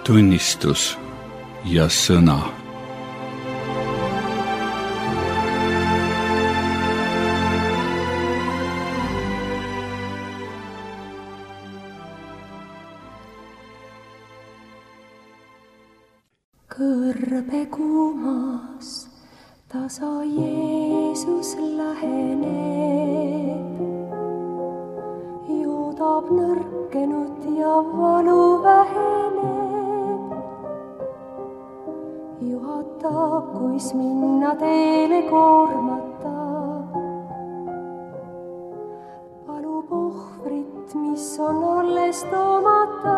tunnistus ja sõna. Kõrbe kuumas tasa Jeesus läheneb, joodab nõrkenud ja valu väheneb. Juhatab, kuis minna teele koormata, palub ohvrit, mis on alles toomata.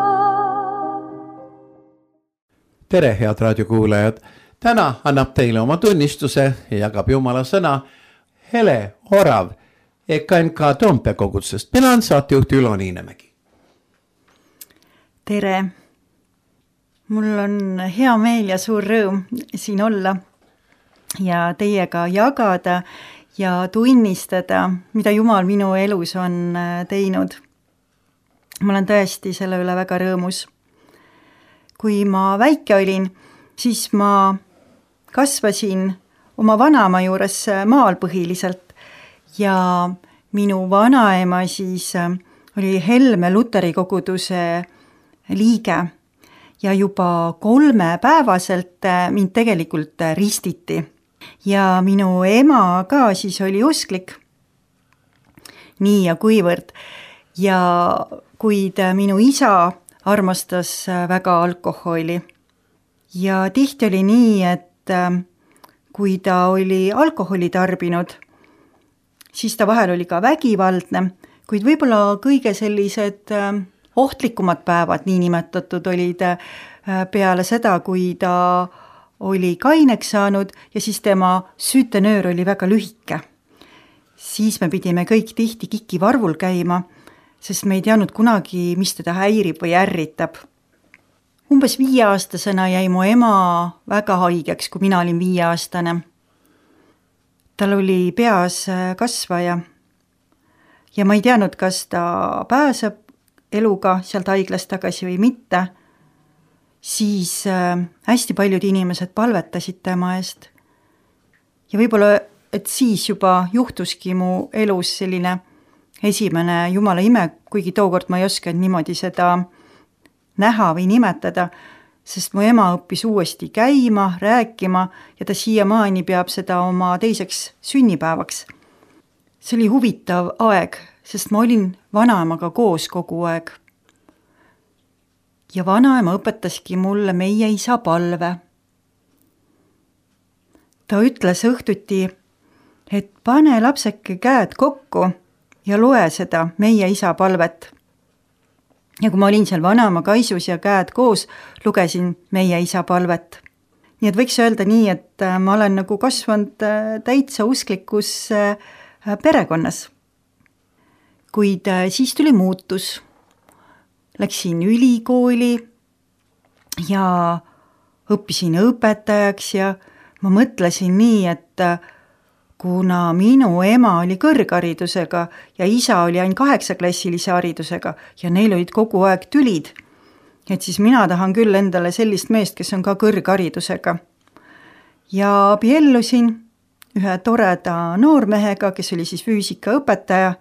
Tere, head raadiokuulajad! Täna annab teile oma tunnistuse ja jagab Jumala sõna Hele Orav EKNK Toompea kogudusest. Mina on saatejuht Ülo Niinemägi. Tere! Mul on hea meel ja suur rõõm siin olla ja teiega jagada ja tunnistada, mida Jumal minu elus on teinud. Ma olen tõesti selle üle väga rõõmus. Kui ma väike olin, siis ma kasvasin oma vanaema juures maal põhiliselt ja minu vanaema siis oli Helme Luteri koguduse liige ja juba 3-päevaselt mind tegelikult ristiti. Ja minu ema ka siis oli usklik, nii ja kuivõrd. Ja kuid minu isa armastas väga alkoholi. Ja tihti oli nii, et kui ta oli alkoholi tarbinud, siis ta vahel oli ka vägivaldne, kuid võib-olla kõige sellised ohtlikumad päevad, nii nimetatud, olid peale seda, kui ta oli kaineks saanud ja siis tema süütenöör oli väga lühike. Siis me pidime kõik tihti kikivarvul käima, sest me ei teadnud kunagi, mis teda häirib või ärritab. Umbes 5-aastasena jäi mu ema väga haigeks, kui mina olin 5-aastane. Tal oli peas kasvaja ja ma ei teadnud, kas ta pääseb eluga sealt haiglast tagasi või mitte. Siis hästi paljud inimesed palvetasid tema eest. Ja võib-olla, et siis juba juhtuski mu elus selline esimene Jumala ime, kuigi tookord ma ei oskanud niimoodi seda näha või nimetada, sest mu ema õppis uuesti käima, rääkima ja ta siiamaani peab seda oma teiseks sünnipäevaks. See oli huvitav aeg, sest ma olin vanaemaga koos kogu aeg. Ja vanaema õpetaski mulle meie isa palve. Ta ütles õhtuti, et pane lapseke käed kokku ja loe seda meie isa palvet. Ja kui ma olin seal vanaema kaisus ja käed koos, lugesin meie isa palvet. Nii et võiks öelda nii, et ma olen nagu kasvanud täitsa usklikus perekonnas. Kuid siis tuli muutus. Läksin ülikooli ja õppisin õpetajaks ja ma mõtlesin nii, et kuna minu ema oli kõrgharidusega ja isa oli ainult 8-klassilise haridusega ja neil olid kogu aeg tülid, et siis mina tahan küll endale sellist meest, kes on ka kõrgharidusega. Ja abiellusin ühe toreda noormehega, kes oli siis füüsikaõpetaja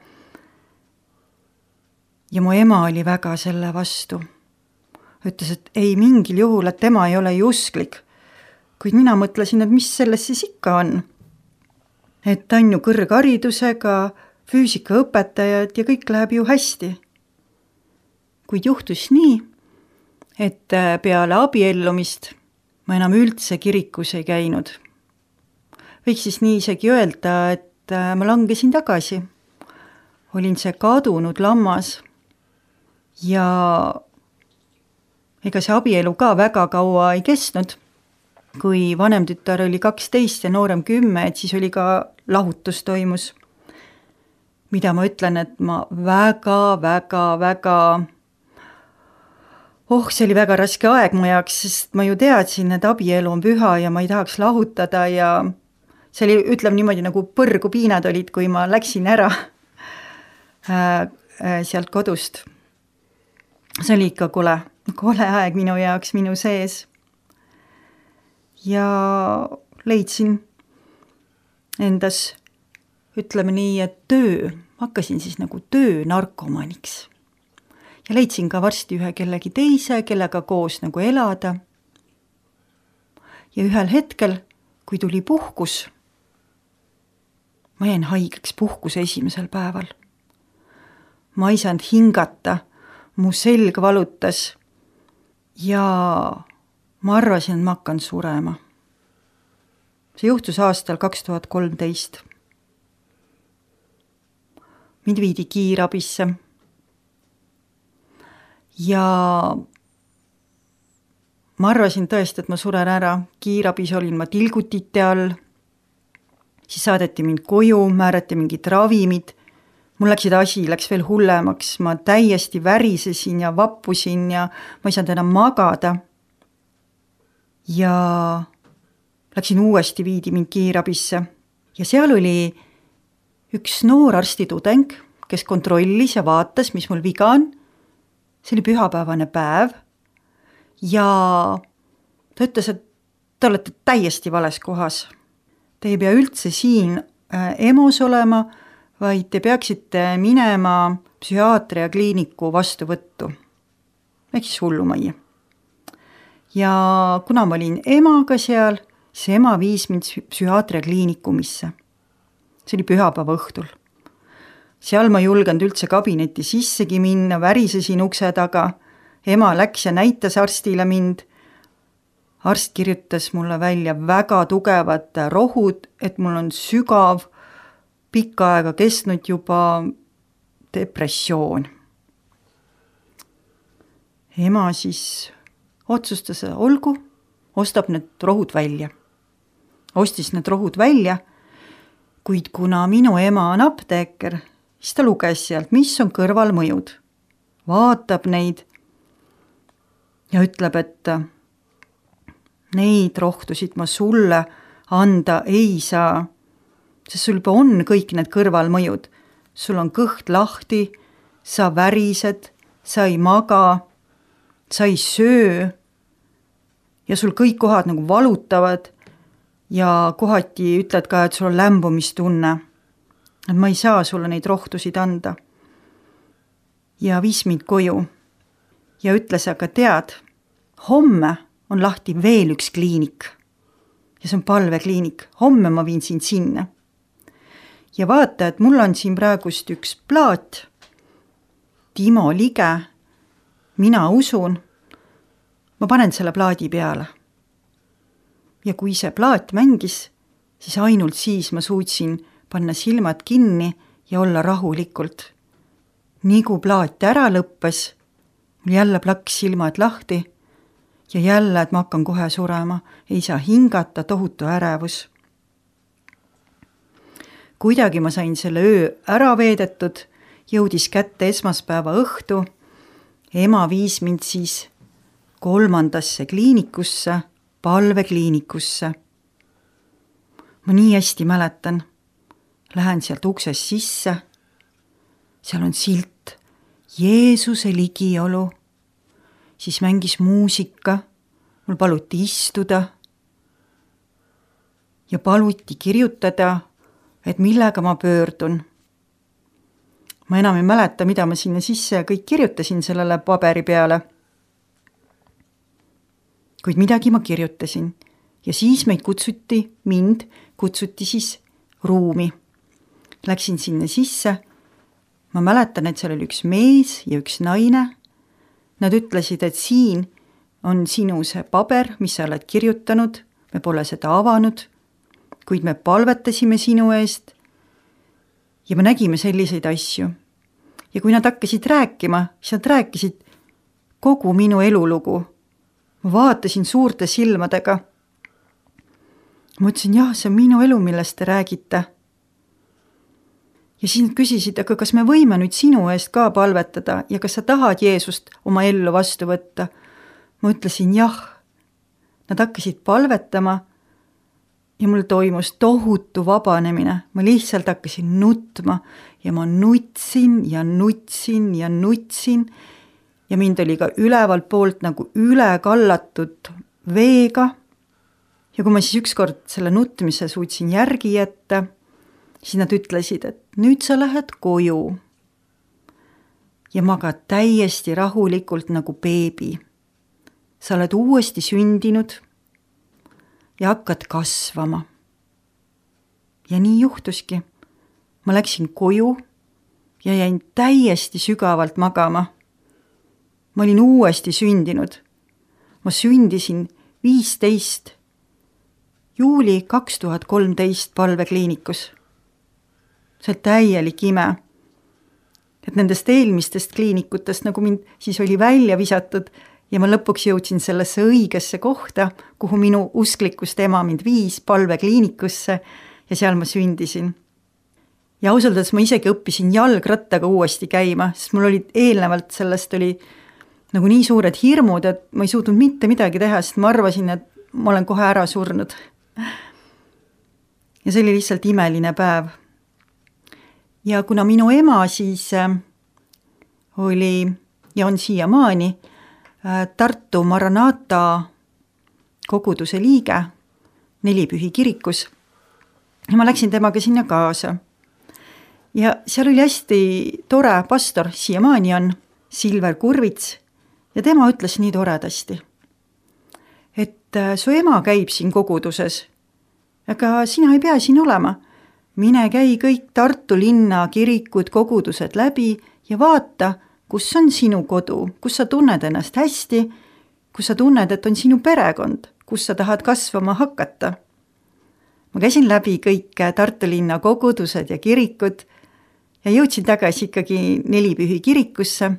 ja mu ema oli väga selle vastu. Ütles, et ei mingil juhul, et tema ei ole ju usklik. Kuid mina mõtlesin, et mis selles siis ikka on. Et ta on ju kõrgharidusega, füüsikaõpetajad ja kõik läheb ju hästi. Kuid juhtus nii, et peale abiellumist ma enam üldse kirikus ei käinud. Võiks siis nii isegi öelda, et ma langesin tagasi. Olin see kadunud lammas ja ega see abielu ka väga kaua ei kestnud. Kui vanem tütar oli 12 ja noorem 10, et siis oli ka lahutus toimus. Mida ma ütlen, et ma väga see oli väga raske aeg mu jaoks, sest ma ju teadsin, et abielu on püha ja ma ei tahaks lahutada ja see oli, ütleme niimoodi, nagu põrgu piinad olid, kui ma läksin ära sealt kodust. See oli ikka kule, kole aeg minu jaoks minu sees. Ja leidsin endas, ütleme nii, et hakkasin siis nagu narkomaniks. Ja leidsin ka varsti ühe kellegi teise, kellega koos nagu elada. Ja ühel hetkel, kui tuli puhkus, ma jäin haigeks puhkuse esimesel päeval. Ma ei saanud hingata, mu selg valutas ja ma arvasin, et ma hakkan surema. See juhtus aastal 2013. Mind viidi kiirabisse ja ma arvasin tõesti, et ma suren ära. Kiirabis olin ma tilgutite all, siis saadeti mind koju, määrati mingid ravimid. Mul läks veel hullemaks, ma täiesti värisesin ja vappusin ja ma ei saanud enam magada. Ja läksin uuesti, viidi mind kiirabisse ja seal oli üks noor arstitudeng, kes kontrollis ja vaatas, mis mul viga on. See oli pühapäevane päev ja ta ütles, et te olete täiesti vales kohas. Te ei pea üldse siin EMO-s olema, vaid te peaksite minema psühhiaatria kliiniku vastuvõttu. Ehk siis hullumajja. Ja kuna ma olin emaga seal, see ema viis mind psühhiaatria kliinikumisse. See oli pühapäeva õhtul. Seal ma ei julgenud üldse kabinetti sissegi minna, värisesin ukse taga. Ema läks ja näitas arstile mind. Arst kirjutas mulle välja väga tugevad rohud, et mul on sügav, pikka aega kestnud juba depressioon. Ema siis otsustas, olgu, ostab need rohud välja. Ostis need rohud välja, kuid kuna minu ema on apteeker, siis ta luges sealt, mis on kõrvalmõjud. Vaatab neid ja ütleb, et neid rohtusid ma sulle anda ei saa, sest sul juba on kõik need kõrvalmõjud. Sul on kõht lahti, sa värised, sa ei maga, sa ei söö ja sul kõik kohad nagu valutavad ja kohati ütled ka, et sul on lämbumistunne. Et ma ei saa sulle neid rohtusid anda. Ja viis mind koju ja ütles, aga tead, homme on lahti veel üks kliinik ja see on palvekliinik. Homme ma viin sind sinna. Ja vaata, et mul on siin praegust üks plaat, Timo Lige, mina usun, ma panen selle plaadi peale. Ja kui see plaat mängis, siis ainult siis ma suutsin panna silmad kinni ja olla rahulikult. Nii kui plaat ära lõppes, mul jälle plaks silmad lahti ja jälle, et ma hakkan kohe surema, ei saa hingata, tohutu ärevus. Kuidagi ma sain selle öö ära veedetud, jõudis kätte esmaspäeva õhtu, ema viis mind siis 3. kliinikusse, palvekliinikusse. Ma nii hästi mäletan. Lähen sealt uksest sisse, seal on silt Jeesuse ligiolu, siis mängis muusika, mul paluti istuda ja paluti kirjutada, et millega ma pöördun. Ma enam ei mäleta, mida ma sinna sisse ja kõik kirjutasin sellele paberi peale. Kuid midagi ma kirjutasin ja siis mind kutsuti siis ruumi. Läksin sinna sisse. Ma mäletan, et seal oli üks mees ja üks naine. Nad ütlesid, et siin on sinu see paber, mis sa oled kirjutanud. Me pole seda avanud, kuid me palvetasime sinu eest ja me nägime selliseid asju. Ja kui nad hakkasid rääkima, siis nad rääkisid kogu minu elulugu. Ma vaatasin suurte silmadega. Ma ütlesin, jah, see on minu elu, millest te räägite. Ja siis nad küsisid, aga kas me võime nüüd sinu eest ka palvetada ja kas sa tahad Jeesust oma ellu vastu võtta? Ma ütlesin jah. Nad hakkasid palvetama ja mul toimus tohutu vabanemine. Ma lihtsalt hakkasin nutma ja ma nutsin ja nutsin ja nutsin ja mind oli ka ülevalt poolt nagu üle kallatud veega. Ja kui ma siis ükskord selle nutmise suutsin järgi jätta, siis nad ütlesid, et nüüd sa lähed koju ja magad täiesti rahulikult nagu beebi. Sa oled uuesti sündinud ja hakkad kasvama. Ja nii juhtuski. Ma läksin koju ja jäin täiesti sügavalt magama. Ma olin uuesti sündinud. Ma sündisin 15. juuli 2013 palvekliinikus. See oli täielik ime. Et nendest eelmistest kliinikutest, nagu mind siis oli välja visatud ja ma lõpuks jõudsin sellesse õigesse kohta, kuhu minu usklikust ema mind viis palvekliinikusse ja seal ma sündisin. Ja ausalt, ma isegi õppisin jalgrattaga uuesti käima, sest mul olid eelnevalt sellest oli nagu nii suured hirmud, et ma ei suutnud mitte midagi teha, sest ma arvasin, et ma olen kohe ära surnud. Ja see oli lihtsalt imeline päev. Ja kuna minu ema siis oli ja on siiamaani Tartu Maranata koguduse liige Nelipühi kirikus, ja ma läksin temaga sinna kaasa. Ja seal oli hästi tore pastor, siiamaani on Silver Kurvits, ja tema ütles nii toredasti, et su ema käib siin koguduses, aga sina ei pea siin olema. Mine käi kõik Tartu linna kirikud, kogudused läbi ja vaata, kus on sinu kodu, kus sa tunned ennast hästi, kus sa tunned, et on sinu perekond, kus sa tahad kasvama hakata. Ma käisin läbi kõik Tartu linna kogudused ja kirikud ja jõudsin tagasi ikkagi Nelipühi kirikusse,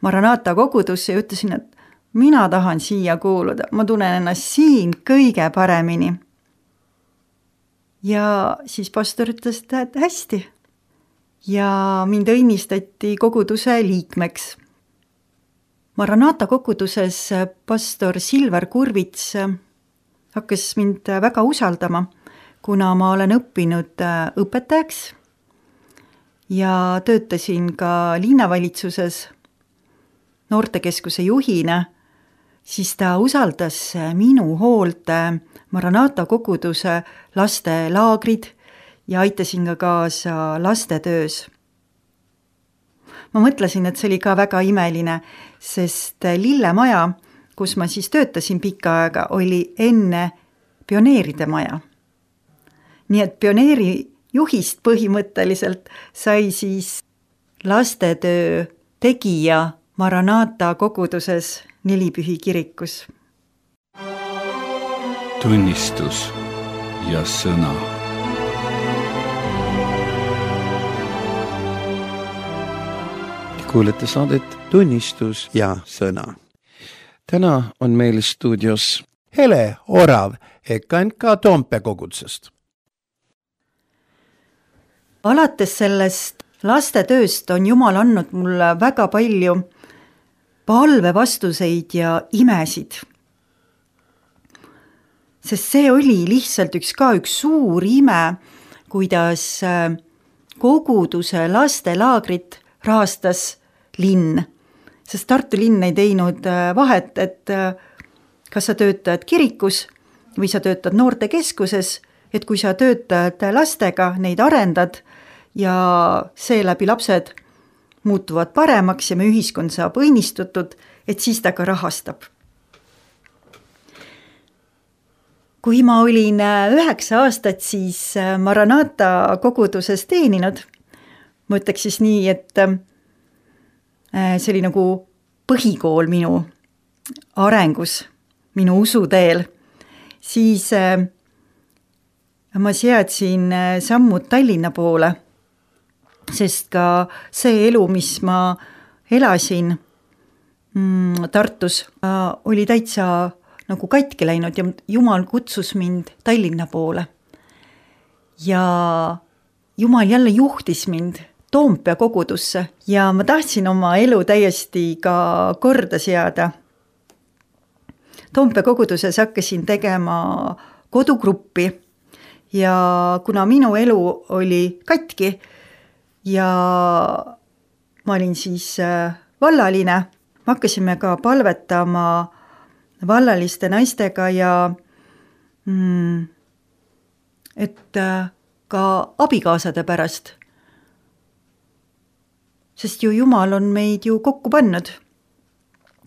Maranata kogudusse ja ütlesin, et mina tahan siia kuuluda, ma tunnen ennast siin kõige paremini. Ja siis pastor ütles, et hästi. Ja mind õnnistati koguduse liikmeks. Maranata koguduses pastor Silver Kurvits hakkas mind väga usaldama, kuna ma olen õppinud õpetajaks ja töötasin ka linnavalitsuses noortekeskuse juhina, siis ta usaldas minu hoolt Maranata koguduse lastelaagrid ja aitasin ka kaasa lastetöös. Ma mõtlesin, et see oli ka väga imeline, sest Lillemaja, kus ma siis töötasin pikka aega, oli enne pioneeride maja. Nii et pioneeri juhist põhimõtteliselt sai siis lastetöö tegija Maranata koguduses Nelipühi kirikus. Tunnistus ja sõna. Kuulete saadet Tunnistus ja sõna. Täna on meil stuudios Hele Orav EKNK Toompea kogudusest. Alates sellest lastetööst on Jumal andnud mulle väga palju palvevastuseid ja imesid. Sest see oli lihtsalt üks suur ime, kuidas koguduse lastelaagrit rahastas linn. Sest Tartu linn ei teinud vahet, et kas sa töötad kirikus või sa töötad noortekeskuses, et kui sa töötad lastega, neid arendad ja seeläbi lapsed muutuvad paremaks ja me ühiskond saab õnnistutud, et siis ta ka rahastab. Kui ma olin 9 aastat, siis Maranata koguduses teeninud. Ma ütleks siis nii, et see oli nagu põhikool minu arengus, minu usuteel. Siis ma seadsin sammud Tallinna poole, sest ka see elu, mis ma elasin Tartus, oli täitsa nagu katki läinud ja Jumal kutsus mind Tallinna poole. Ja Jumal jälle juhtis mind Toompea kogudusse ja ma tahtsin oma elu täiesti ka korda seada. Toompea koguduses hakkasin tegema kodugruppi ja kuna minu elu oli katki ja ma olin siis vallaline, me hakkasime ka palvetama vallaliste naistega ja et ka abikaasade pärast. Sest ju Jumal on meid ju kokku pannud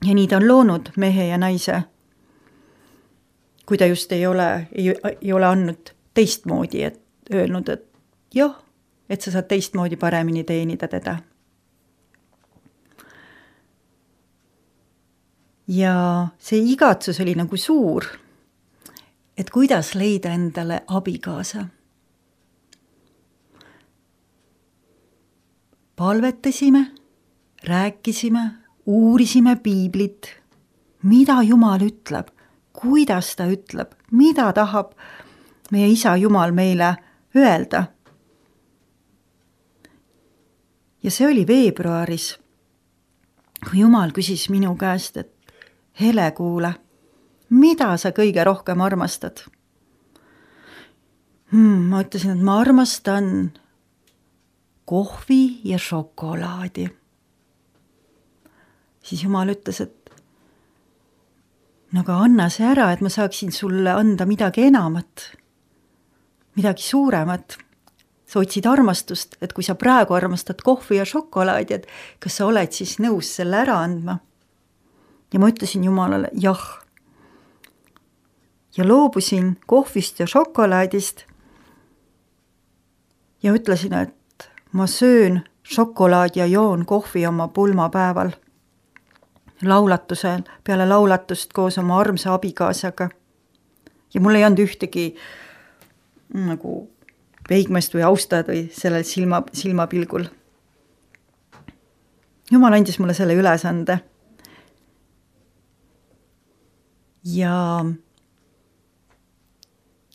ja nii ta on loonud mehe ja naise. Kui ta just ei ole andnud teistmoodi, et öelnud, et jah, et sa saad teistmoodi paremini teenida teda. Ja see igatsus oli nagu suur, et kuidas leida endale abikaasa. Palvetasime, rääkisime, uurisime piiblit, mida Jumal ütleb, kuidas ta ütleb, mida tahab meie isa Jumal meile öelda. Ja see oli veebruaris, kui Jumal küsis minu käest, et Hele, kuule, mida sa kõige rohkem armastad? Ma ütlesin, et ma armastan kohvi ja šokolaadi. Siis Jumal ütles, et no aga anna see ära, et ma saaksin sulle anda midagi enamat, midagi suuremat. Sa otsid armastust, et kui sa praegu armastad kohvi ja šokolaadi, et kas sa oled siis nõus selle ära andma? Ja ma ütlesin Jumalale jah. Ja loobusin kohvist ja šokolaadist ja ütlesin, et ma söön šokolaadi ja joon kohvi oma pulmapäeval. Laulatusel, peale laulatust koos oma armsa abikaasaga. Ja mul ei olnud ühtegi nagu peigmest või austad või sellel silmapilgul. Jumal andis mulle selle ülesande. Ja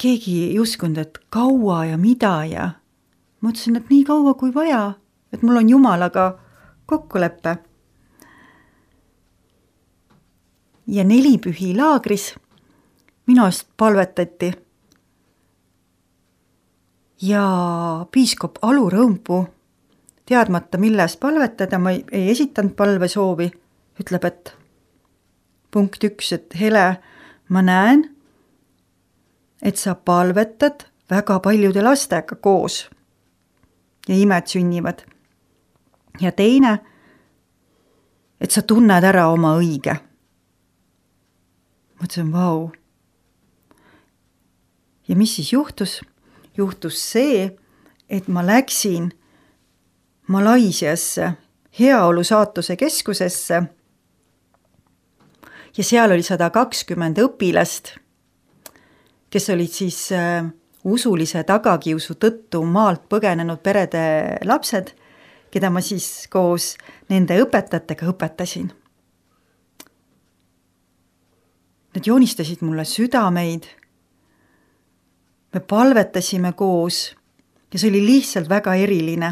keegi ei uskunud, et kaua ja mida ja mõtlesin, et nii kaua kui vaja, et mul on Jumalaga kokkuleppe. Ja 4 pühi laagris minu eest palvetati. Ja piiskop Alu Rõmpuu, teadmata millest palvetada, ma ei esitanud palvesoovi, ütleb, et punkt 1, et Hele, ma näen, et sa palvetad väga paljude lastega koos ja imed sünnivad. Ja teine, et sa tunned ära oma õige. Mõtlesin, vau. Ja mis siis juhtus? Juhtus see, et ma läksin Malaisiasse heaolu saatuse keskusesse ja seal oli 120 õpilast, kes olid siis usulise tagakiusu tõttu maalt põgenenud perede lapsed, keda ma siis koos nende õpetajatega õpetasin. Nad joonistasid mulle südameid, me palvetasime koos ja see oli lihtsalt väga eriline.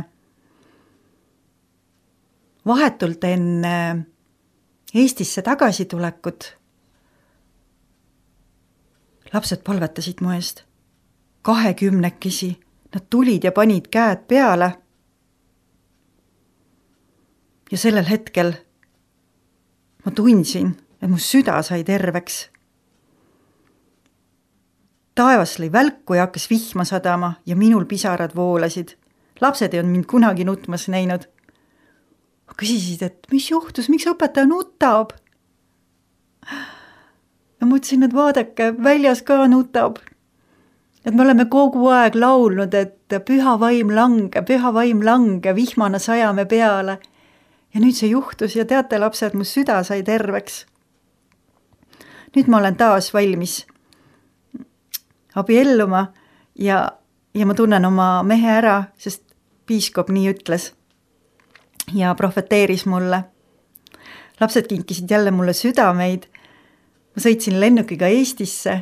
Vahetult enne Eestisse tagasi tulekut lapsed palvetasid mu eest 20-kesi. Nad tulid ja panid käed peale. Ja sellel hetkel ma tundsin, et mu süda sai terveks. Taevas lõi välku ja hakkas vihma sadama ja minul pisarad voolasid. Lapsed ei olnud mind kunagi nutmas näinud. Küsisid, et mis juhtus, miks õpetaja nutab? Ja mõtlesin, et vaadake, väljas ka nutab. Et me oleme kogu aeg laulnud, et püha vaim lange, vihmana sajame peale. Ja nüüd see juhtus ja teate, lapsed, mu süda sai terveks. Nüüd ma olen taas valmis abielluma ja ma tunnen oma mehe ära, sest piiskop nii ütles ja profeteeris mulle. Lapsed kinkisid jälle mulle südameid. Ma sõitsin lennukiga Eestisse,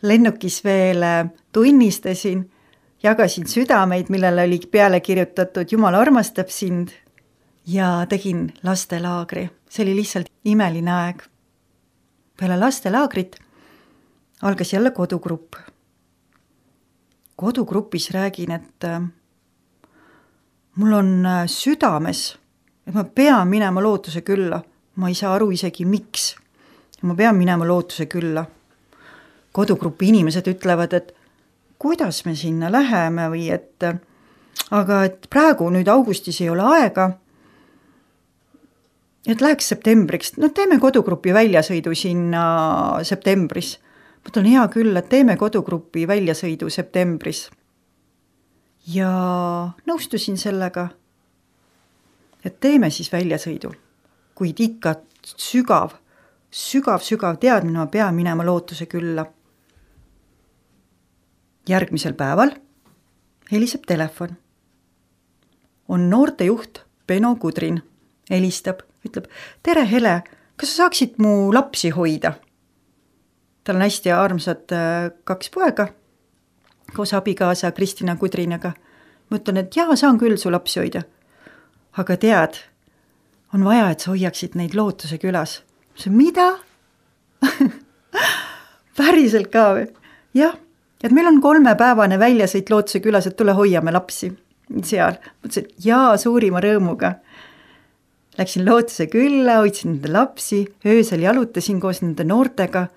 lennukis veel tunnistasin, jagasin südameid, millele oli peale kirjutatud Jumal armastab sind ja tegin lastelaagri. See oli lihtsalt imeline aeg. Peale lastelaagrit algas jälle kodugrupp. Kodugrupis räägin, et mul on südames, et ma pean minema lootuse külla. ma ei saa aru isegi miks. Ma pean minema Lootuse külla. Kodugrupi inimesed ütlevad, et kuidas me sinna läheme või aga et praegu nüüd augustis ei ole aega, et läheks septembriks. No teeme kodugrupi väljasõidu sinna septembris. Ma ütlen, hea küll, et teeme kodugrupi väljasõidu septembris. Ja nõustusin sellega, et teeme siis väljasõidu. Kuid ikka sügav teadmine, ma pean minema Lootuse külla. Järgmisel päeval heliseb telefon. On noortejuht Beno Kudrin. Helistab, ütleb, tere Hele, kas sa saaksid mu lapsi hoida? Tal on hästi armsad 2 poega koos abikaasa Kristina Kudrinaga. Ma ütlen, et jaa, saan küll su lapsi hoida. Aga tead, on vaja, et sa hoiaksid neid Lootuse külas. See mida? Päriselt ka või? Jah, et meil on 3-päevane väljasõit Lootuse külas, et tule hoiame lapsi seal. Mõtlesin, et jaa, suurima rõõmuga. Läksin Lootuse külla, hoidsin nende lapsi, öösel jalutasin koos nende noortega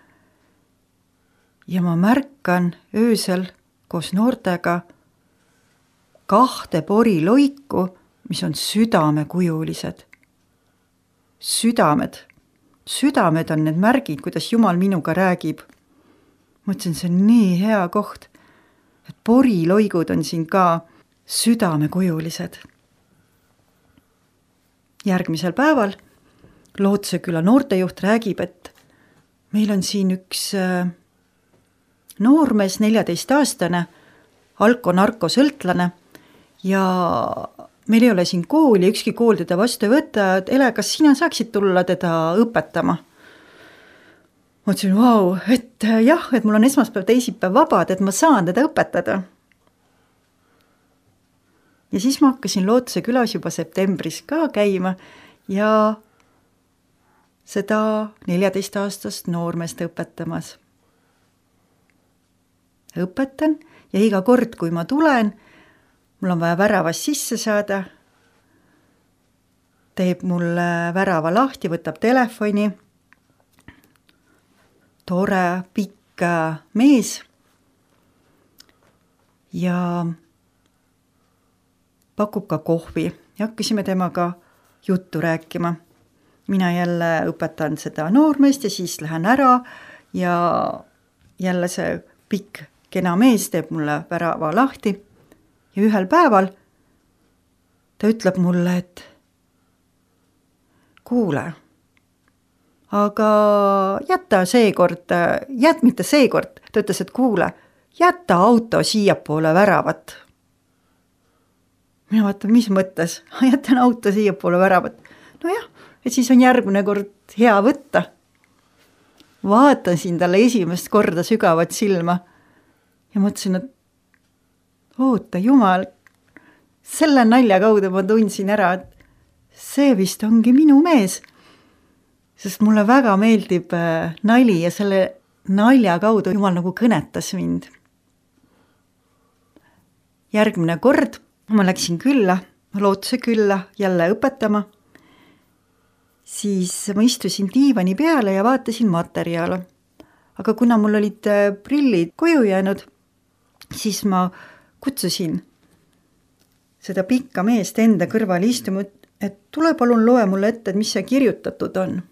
ja ma märkan öösel koos noortega 2 poriloiku, mis on südamekujulised. Südamed on need märgid, kuidas Jumal minuga räägib. Mõtlesin, see on nii hea koht, et poriloigud on siin ka südamekujulised. Järgmisel päeval Lootuse küla noortejuht räägib, et meil on siin üks noormees, 14-aastane, alko-narkosõltlane ja meil ei ole siin kooli, ükski kool teda vastu ei võtta, et Ele, kas sina saaksid tulla teda õpetama? Ma ütlesin, vau, et jah, et mul on esmaspäev, teisipäev vabad, et ma saan teda õpetada. Ja siis ma hakkasin Lootuse külas juba septembris ka käima ja seda 14-aastast noormeest õpetamas. Õpetan ja iga kord, kui ma tulen, mul on vaja väravast sisse saada, teeb mulle värava lahti, võtab telefoni, tore, pikk mees ja pakub ka kohvi ja hakkasime temaga juttu rääkima. Mina jälle õpetan seda noormeest ja siis lähen ära ja jälle see pikk kena mees teeb mulle värava lahti ja ühel päeval ta ütleb mulle, et kuule, aga jäta mitte seekord, ta ütles, et kuule, jäta auto siiapoole väravat. Mina vaatan, mis mõttes? Jätan auto siiapoole väravat. No jah, et siis on järgmine kord hea võtta. Vaatasin talle esimest korda sügavat silma ja mõtlesin, et oota Jumal, selle nalja kaudu ma tundsin ära, et see vist ongi minu mees, sest mulle väga meeldib nali ja selle nalja kaudu Jumal nagu kõnetas mind. Järgmine kord ma läksin Lootuse külla jälle õpetama, siis ma istusin diivani peale ja vaatasin materjale. Aga kuna mul olid prillid koju jäänud, siis ma kutsusin seda pikka meest enda kõrval istuma, et tule palun loe mulle ette, et mis see kirjutatud on.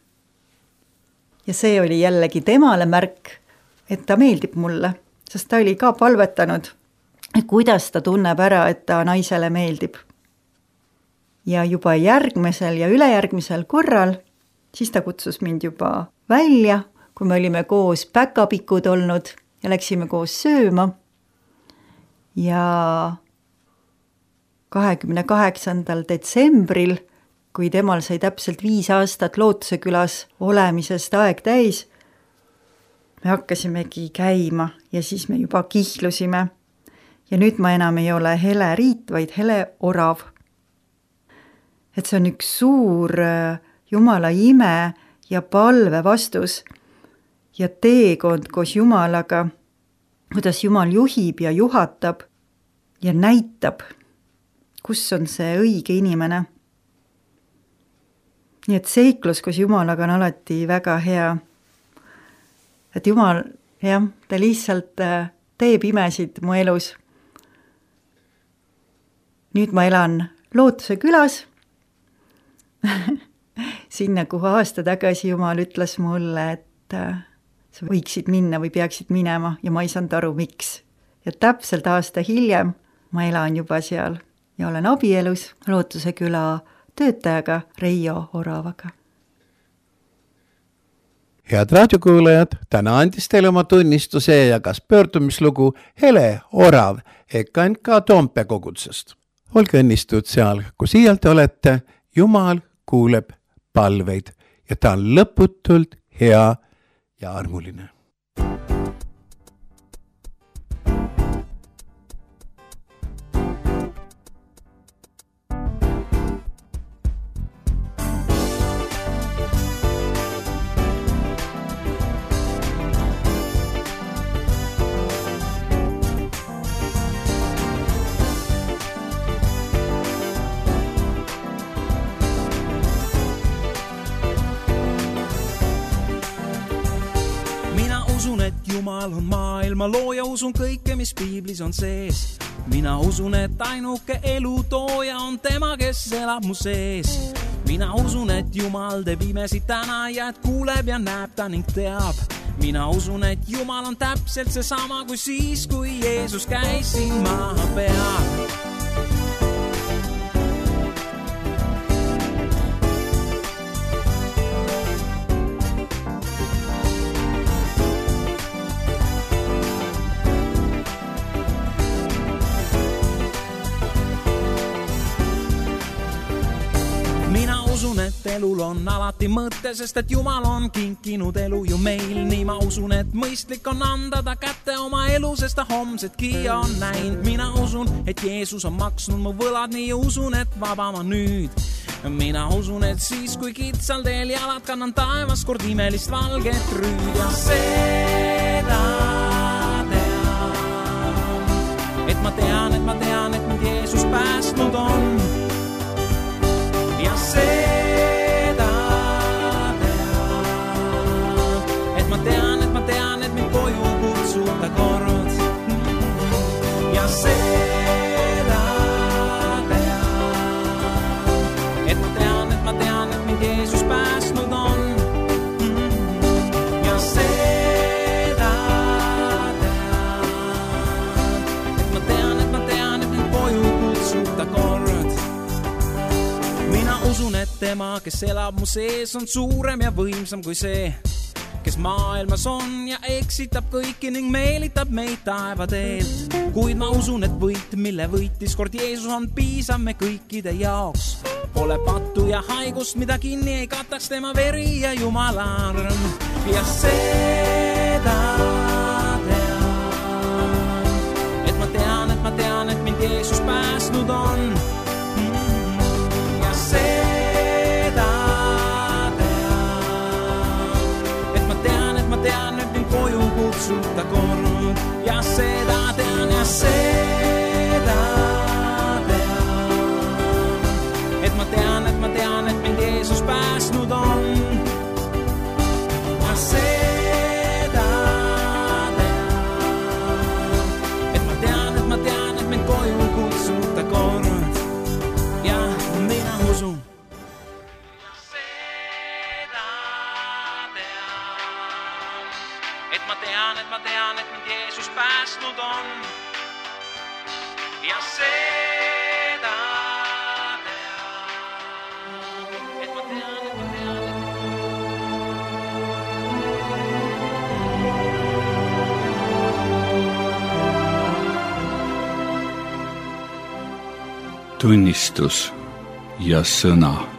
Ja see oli jällegi temale märk, et ta meeldib mulle, sest ta oli ka palvetanud, et kuidas ta tunneb ära, et ta naisele meeldib. Ja juba järgmisel ja ülejärgmisel korral, siis ta kutsus mind juba välja, kui me olime koos päkapikud olnud ja läksime koos sööma. Ja 28. detsembril, kui temal sai täpselt 5 aastat Lootuse külas olemisest aeg täis, me hakkasimegi käima ja siis me juba kihlusime. Ja nüüd ma enam ei ole Hele Riit, vaid Hele Orav. Et see on üks suur Jumala ime ja palve vastus ja teekond koos Jumalaga, kuidas Jumal juhib ja juhatab ja näitab, kus on see õige inimene. Nii et seiklus koos Jumalaga on alati väga hea. Et Jumal, jah, ta lihtsalt teeb imesid mu elus. Nüüd ma elan Lootuse külas. Sinna, kuhu aasta tagasi Jumal ütles mulle, et sa võiksid minna või peaksid minema ja ma ei saanud aru, miks. Ja täpselt aasta hiljem ma elan juba seal ja olen abielus Lootuse küla töötajaga Reijo Oravaga. Head raadiokuulajad, täna andis teile oma tunnistuse ja kas pöördumislugu Hele Orav EKNK Toompea kogudussest. Olge õnnistud seal, kus iial te olete, Jumal kuuleb palveid ja ta on lõputult hea ja armuline. Jumal on maailma looja, usun kõike, mis piiblis on sees. Mina usun, et ainuke elu tooja on tema, kes elab mu sees. Mina usun, et Jumal teeb imesid täna ja et kuuleb ja näeb ta ning teab. Mina usun, et Jumal on täpselt seesama kui siis, kui Jeesus käis siin maa peal. Elul on alati mõte, sest et Jumal on kinkinud elu ju meil. Nii ma usun, et mõistlik on anda ta kätte oma elu, sest ta homsetki on näinud. Mina usun, et Jeesus on maksnud mu võlad, nii usun, et vaba ma nüüd. Mina usun, et siis, kui kitsal teel jalad kannan taevas kord imelist valget rüüd. Ja seda tean, et ma tean, et mind Jeesus päästnud on. Ja seda tean, et mind koju kutsuta kord. Ja seda tean, et mind Jeesus päästnud on. Ja seda tean, et mind koju kutsuta kord. Mina usun, et tema, kes elab mu sees, on suurem ja võimsam kui see, kes maailmas on ja eksitab kõiki ning meelitab meid taevateelt. Kuid ma usun, et võit, mille võitis kord Jeesus, on piisav me kõikide jaoks. Pole pattu ja haigust, mida kinni ei kataks tema veri ja Jumala arm. Ja seda tean, et mind Jeesus päästnud on. Ja seda tean, et mind koju kutsuta kord. Ja seda tean, et mind Jeesus päästnud on. Ja seda tean, et mind koju kutsuta kord. Ja mina usun. Ma tean, et mind Jeesus päästnud on. Ja seda tean, et ma tean. Tunnistus ja sõna.